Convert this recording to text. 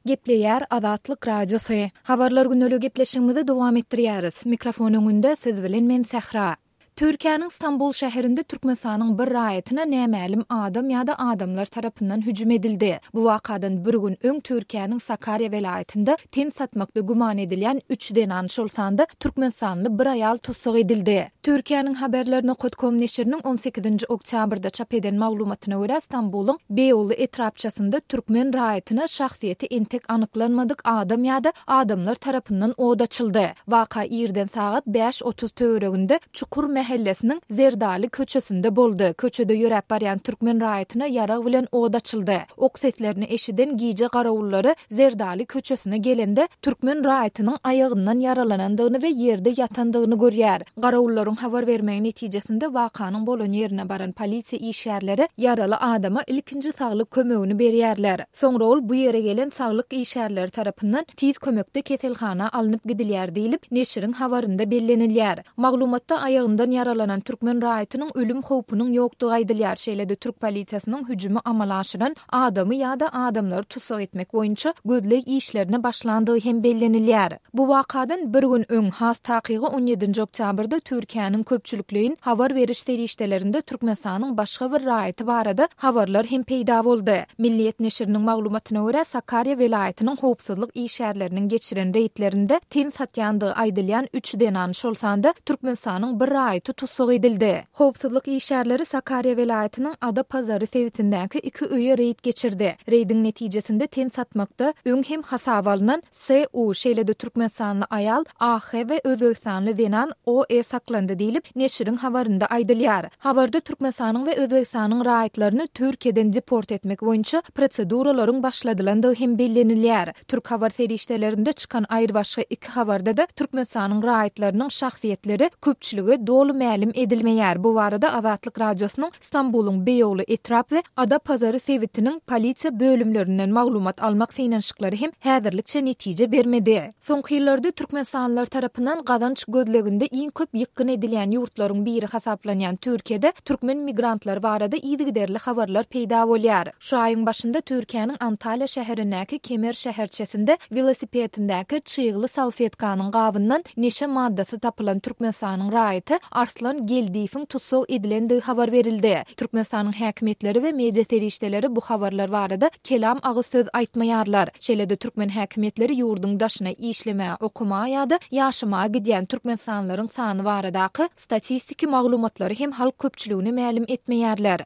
Gepleýär Azatlyk Radiosy. Habarlar gündeliği gepleşigimizi dowam etdirýäris. Mikrofon öňünde siz bilen men Sähra. Türkiýäniň Stambul şäherinde Türkmenistanyň bir raýatyna nämälim adam ýa-da adamlar tarapyndan hüjüm edildi. Bu wakadan bir gün öň Türkiýäniň Sakarýa welaýatynda ten satmakda güman edilýän üç zenan, şol sanda türkmenistanly bir aýal tussag edildi. Türkiýäniň Haberler nokat kom neşiriniň on sekizinji oktýabrda çap eden maglumatyna görä, Stambulyň Beýogly etrapçasynda türkmen raýatyna şahsyýeti entek anyklanmadyk adam ýa-da adamlar tarapyndan od açyldy. Waka irden sagat 5:30 töwereginde Çukur mähellesiniň Zerdali köçesinde boldy. Köçede ýöräp barýan türkmen raýatyna ýarag bilen od açyldy. Ok seslerini eşiden gije garawullary Zerdali köçesine gelende, türkmen raýatynyň aýagyndan ýaralanandygyny we ýerde ýatandygyny görýär. Garawullaryň habar bermegi netijesinde wakanyň bolan ýerine baran polisiýa işgärleri ýaraly adama ilkinji saglyk kömegini berýärler. Soňra ol bu ýere gelen saglyk işgärleri tarapyndan tiz kömekde keselhana alnyp gidilýär diýlip, neşiriň habarynda bellenilýär. Maglumatda aýagyndan ýaralanan türkmen raýatynyň ölüm howpunyň ýokdugy aýdylýar, şeýle-de türk polisiýasynyň hüjümi amala aşyran adamy ýa-da adamlary tussag etmek boýunça gözleg işlerine başlandygy hem bellenilýär. Bu wakadan bir gün öň, has takygy on ýedinji oktýabrda Türkiýäniň köpçülikleýin habar beriş serişdelerinde Türkmenistanyň başga bir raýaty barada habarlar hem peýda boldy. Milliýet neşiriniň maglumatyna görä, Sakarýa welaýatynyň howpsuzlyk işgärleriniň geçiren reýdlerinde ten satýandygy aýdylýan üç zenan, şol sanda Türkmenistanyň bir raýaty tussag edildi. Howpsuzlyk işgärleri Sakarýa welaýatynyň Adapazary sebitindäki iki öýe reýd geçirdi. Reýdiň netijesinde ten satmakda öň hem hasaba alnan SU, şeýle-de türkmenistanly aýal AH we özbegistanly zenan OE saklandy diýlip, neşiriň habarynda aýdylýar. Habarda Türkmenistanyň we Özbegistanyň raýatlaryny Türkiýeden deport etmek boýunça proseduralaryň başladylandygy hem bellenilýär. Türk habar serişdelerinde çykan aýrybaşga iki habarda-da Türkmenistanyň raýatlarynyň şahsyýetleri köpçülige doly mälim edilmeýär. Bu barada Azatlyk Radiosynyň Stambulyň Beýogly etrap we Adapazary sebitiniň polisiýa bölümlerinden maglumat almak synanyşyklary hem häzirlikçe netije bermedi. Soňky ýyllarda türkmenistanlylar tarapyndan gazanç gözleginde iň köp ýykgyn edilýän ýurtlaryň biri hasaplanýan Türkiýede türkmen migrantlary barada yzygiderli habarlar peýda bolýar. Şu aýyň başynda Türkiýäniň Antalýa şäherindäki Kemer şäherçesinde welosipedindäki çygly salfetkanyň gabyndan neşe maddasy tapylan Türkmenistanyň raýaty Arslan Geldiýewiň tussag edilendigi habar berildi. Türkmenistanyň häkimiýetleri we media serişdeleri bu habarlar barada kelam agyz söz aýtmaýarlar. Şeýle-de türkmen häkimiýetleri ýurduň daşyna işlemäge, okamaga ýa-da ýaşamaga gidýän türkmenistanlylaryň sany baradaky statistiki maglumatlary hem halk köpçüligine mälim etmeýärler.